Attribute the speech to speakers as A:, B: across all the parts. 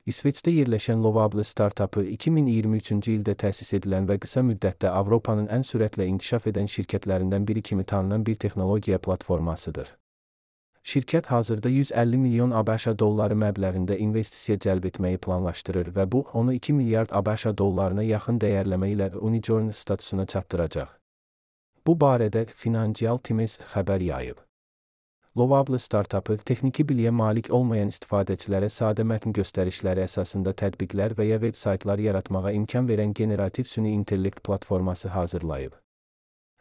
A: İsveçdə yerləşən Lovable startapı 2023-cü ildə təsis edilən və qısa müddətdə Avropanın ən sürətlə inkişaf edən şirkətlərindən biri kimi tanınan bir texnologiya platformasıdır. Şirkət hazırda 150 milyon ABŞ dolları məbləğində investisiya cəlb etməyi planlaşdırır və bu, onu 2 milyard ABŞ dollarına yaxın dəyərləmə ilə unicorn statusuna çatdıracaq. Bu barədə Financial Times xəbər yayıb. Lovable startapı, texniki biliyə malik olmayan istifadəçilərə sadə mətn göstərişləri əsasında tətbiqlər və ya veb-saytlar yaratmağa imkan verən generativ süni intellekt platforması hazırlayıb.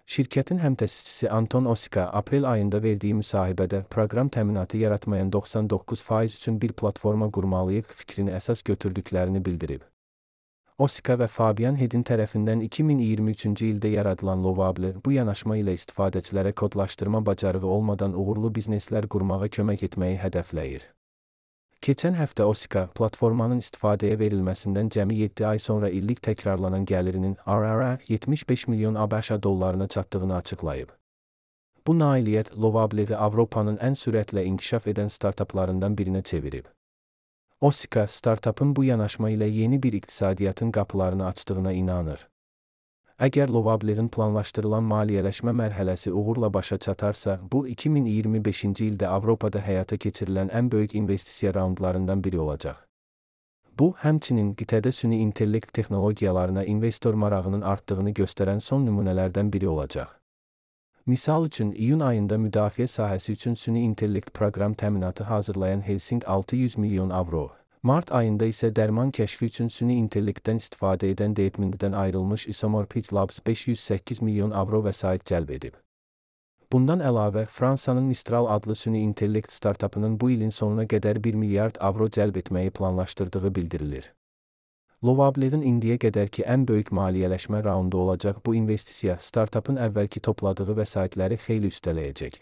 A: Şirkətin həmtəsisçisi Anton Osika, aprel ayında verdiyi müsahibədə, proqram təminatı yaratmayan 99% üçün bir platforma qurmalıyıq fikrini əsas götürdüklərini bildirib. Osika və Fabian Hedin tərəfindən 2023-cü ildə yaradılan Lovable, bu yanaşma ilə istifadəçilərə kodlaşdırma bacarığı olmadan uğurlu bizneslər qurmağa kömək etməyi hədəfləyir. Keçən həftə Osika, platformanın istifadəyə verilməsindən cəmi 7 ay sonra illik təkrarlanan gəlirinin ARR 75 milyon ABŞ dollarına çatdığını açıqlayıb. Bu nailiyyət Lovable'i Avropanın ən sürətlə inkişaf edən startaplarından birinə çevirib. Osika, startapın bu yanaşma ilə yeni bir iqtisadiyyatın qapılarını açdığına inanır. Əgər Lovable'in planlaşdırılan maliyyələşmə mərhələsi uğurla başa çatarsa, bu 2025-ci ildə Avropada həyata keçirilən ən böyük investisiya raundlarından biri olacaq. Bu, həmçinin qitədə süni intellekt texnologiyalarına investor marağının artdığını göstərən son nümunələrdən biri olacaq. Misal üçün, iyun ayında müdafiə sahəsi üçün süni intellekt proqram təminatı hazırlayan Helsing 600 milyon avro, mart ayında isə dərman kəşfi üçün süni intellektdən istifadə edən DeepMinddən ayrılmış Isomorphid Labs 508 milyon avro vəsait cəlb edib. Bundan əlavə, Fransanın Mistral adlı süni intellekt startapının bu ilin sonuna qədər 1 milyard avro cəlb etməyi planlaşdırdığı bildirilir. Lovable'in indiyə qədərki ən böyük maliyyələşmə raundu olacaq bu investisiya, startapın əvvəlki topladığı vəsaitləri xeyli üstələyəcək.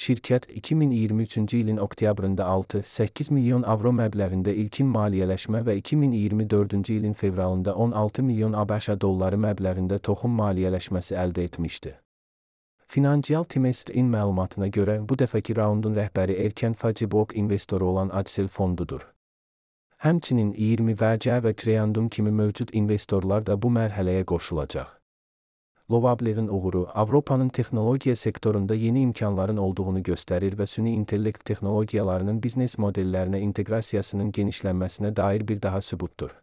A: Şirkət, 2023-cü ilin oktyabrında 6-8 milyon avro məbləğində ilkin maliyyələşmə və 2024-cü ilin fevralında 16 milyon ABŞ dolları məbləğində toxum maliyyələşməsi əldə etmişdi. Financial Times-in məlumatına görə, bu dəfəki raundun rəhbəri erkən Fajibok investoru olan Accel fondudur. Həmçinin 20 VC və Creandum kimi mövcud investorlar da bu mərhələyə qoşulacaq. Lovable'in uğuru, Avropanın texnologiya sektorunda yeni imkanların olduğunu göstərir və süni intellekt texnologiyalarının biznes modellərinə inteqrasiyasının genişlənməsinə dair bir daha sübutdur.